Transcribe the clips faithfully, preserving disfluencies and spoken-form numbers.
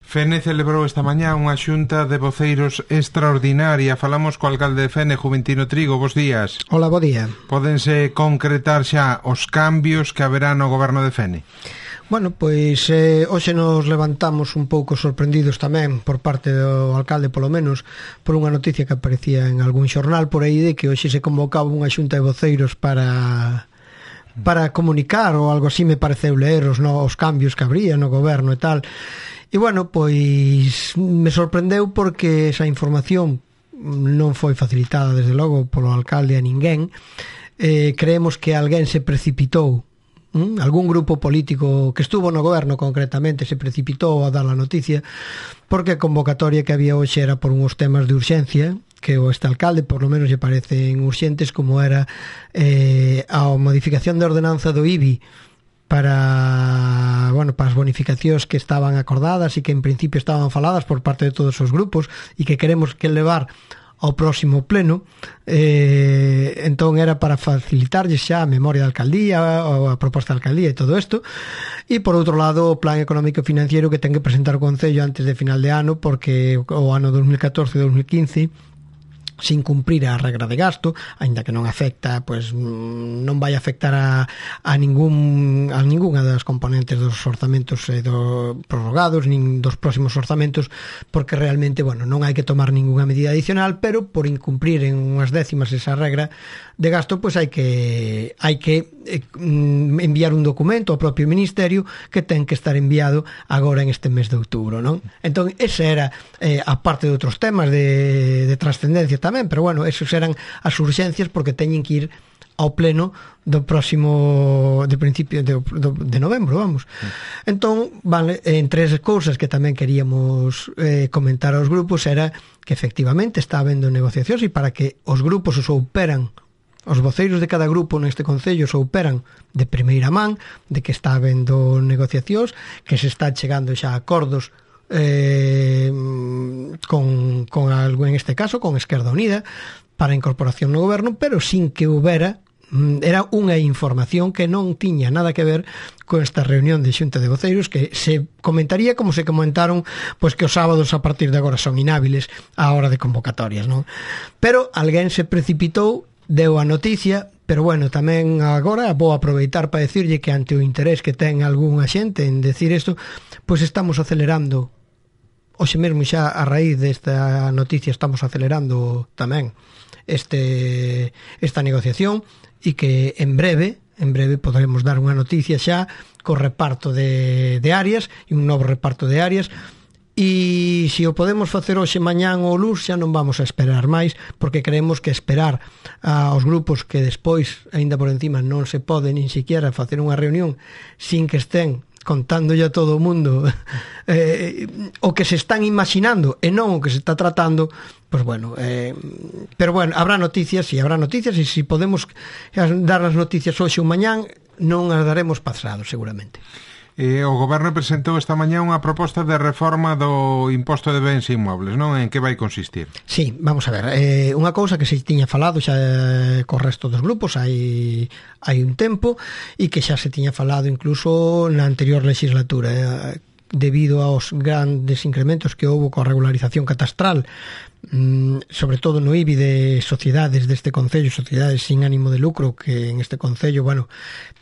Fene celebrou esta mañá unha xunta de voceiros extraordinaria. Falamos co alcalde de Fene, Juventino Trigo. Bos días. Hola, bo día. Pódense concretar xa os cambios que haberá no goberno de Fene? Bueno, pois eh, hoxe nos levantamos un pouco sorprendidos tamén por parte do alcalde, polo menos, por unha noticia que aparecía en algún xornal por aí de que hoxe se convocaba unha xunta de voceiros para para comunicar ou algo así, me pareceu ler os, no, os cambios que habría no goberno e tal. E bueno, pois me sorprendeu porque esa información non foi facilitada desde logo polo alcalde a ninguén. Eh, creemos que alguén se precipitou, ¿Mm? algún grupo político que estuvo no goberno concretamente se precipitou a dar a noticia, porque a convocatoria que había hoxe era por uns temas de urxencia que o este alcalde por lo menos lle parecen urxentes, como era eh, a modificación de ordenanza do I B I para, bueno, para as bonificacións que estaban acordadas e que en principio estaban faladas por parte de todos os grupos e que queremos que levar ao próximo pleno. Eh, entón era para facilitarlles xa a memoria da alcaldía ou a proposta da alcaldía e todo isto, e por outro lado o plan económico e financiero que ten que presentar o Concello antes de final de ano, porque o ano dos mil catorce e dos mil quince sin cumprir a regra de gasto, aínda que non afecta, pois non vai afectar a, a ningún a ningunha das componentes dos orzamentos eh, do, prorrogados, nin dos próximos orzamentos, porque realmente, bueno, non hai que tomar ningunha medida adicional, pero por incumprir en unhas décimas esa regra de gasto, pois hai que hai que eh, enviar un documento ao propio Ministerio que ten que estar enviado agora en este mes de outubro, non? Entón, ese era eh, a parte de outros temas de, de trascendencia tamén, pero bueno, esos eran as urxencias porque teñen que ir ao pleno do próximo de principio de, de, de novembro, vamos. Entón, vale, entre as cousas que tamén queríamos eh, comentar aos grupos era que efectivamente está habendo negociacións, e para que os grupos os souperan, os voceiros de cada grupo neste Concello souperan de primeira man de que está habendo negociacións, que se está chegando xa a acordos Eh, con, con algo, en este caso con Esquerda Unida, para a incorporación no goberno, pero sin que houbera, era unha información que non tiña nada que ver con esta reunión de xunta de voceiros, que se comentaría como se comentaron, pois que os sábados a partir de agora son inhábiles á hora de convocatorias, non? Pero alguén se precipitou, deu a noticia. Pero bueno, tamén agora vou aproveitar para decirlle que ante o interés que ten algunha xente en decir isto, pois estamos acelerando. Hoxe mesmo xa a raíz desta noticia estamos acelerando tamén este esta negociación, e que en breve, en breve poderemos dar unha noticia xa co reparto de, de áreas, e un novo reparto de áreas. E se o podemos facer hoxe, mañán ou luns, xa non vamos a esperar máis, porque creemos que esperar aos grupos que despois, aínda por encima, non se pode nin siquiera facer unha reunión sin que estén contándolle a todo o mundo eh, o que se están imaginando e non o que se está tratando, pois bueno, eh, pero bueno, habrá noticias e habrá noticias, e se podemos dar as noticias hoxe ou mañán, non as daremos pasado seguramente. Eh, o goberno presentou esta mañá unha proposta de reforma do imposto de bens inmobles, non? En que vai consistir? Sí, vamos a ver, eh, unha cousa que se tiña falado xa eh, co resto dos grupos hai, hai un tempo, e que xa se tiña falado incluso na anterior legislatura, eh, debido aos grandes incrementos que houve coa regularización catastral, mm, sobre todo no I B I de sociedades deste Concello, sociedades sin ánimo de lucro, que en este Concello, bueno,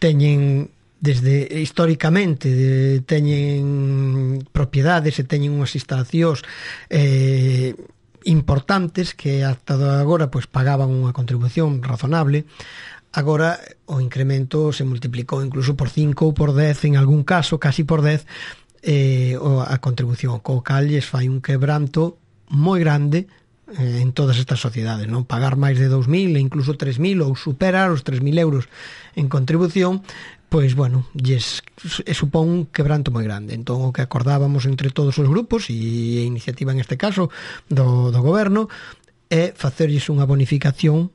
teñen desde históricamente de, teñen propiedades e teñen unhas instalacións eh, importantes que ata agora pois pagaban unha contribución razonable. Agora o incremento se multiplicou incluso por cinco ou por dez, en algún caso casi por dez, eh, a contribución, co cal lles fai un quebranto moi grande eh, en todas estas sociedades, non? Pagar máis de dous mil e incluso tres mil, ou superar os tres mil euros en contribución, pois, bueno, lles supón un quebranto moi grande. Entón, o que acordábamos entre todos os grupos, e a iniciativa en este caso do, do goberno, é facerlles unha bonificación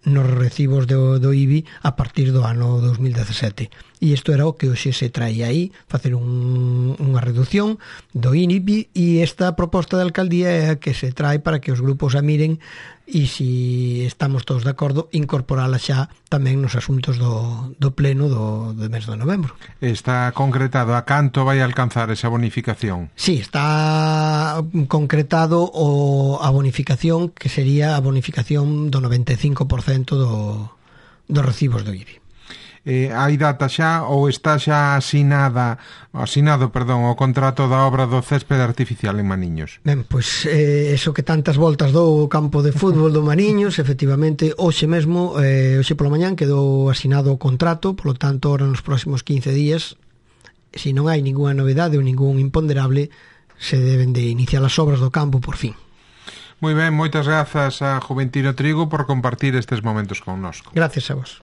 nos recibos do, do I B I a partir do ano dos mil dezasete. e isto era o que hoxe se traía aí, facer un, unha reducción do I N I P I, e esta proposta de alcaldía é a que se trae para que os grupos a miren e se estamos todos de acordo incorporala xa tamén nos asuntos do, do pleno do, do mes de novembro. Está concretado a canto vai alcanzar esa bonificación? Sí, está concretado o, a bonificación, que sería a bonificación do noventa e cinco por cento do, dos recibos do I B I. Eh, hai data xa ou está xa asinada asinado, perdón, o contrato da obra do céspede artificial en Maniños? Ben, pois eh, eso que tantas voltas do campo de fútbol do Maniños, efectivamente, hoxe mesmo, eh, hoxe pola mañán quedou asinado o contrato, polo tanto, ahora nos próximos quince días, se non hai ninguna novedade ou ningún imponderable, se deben de iniciar as obras do campo por fin. Moi ben, moitas grazas a Juventino Trigo por compartir estes momentos connosco. Gracias a vos.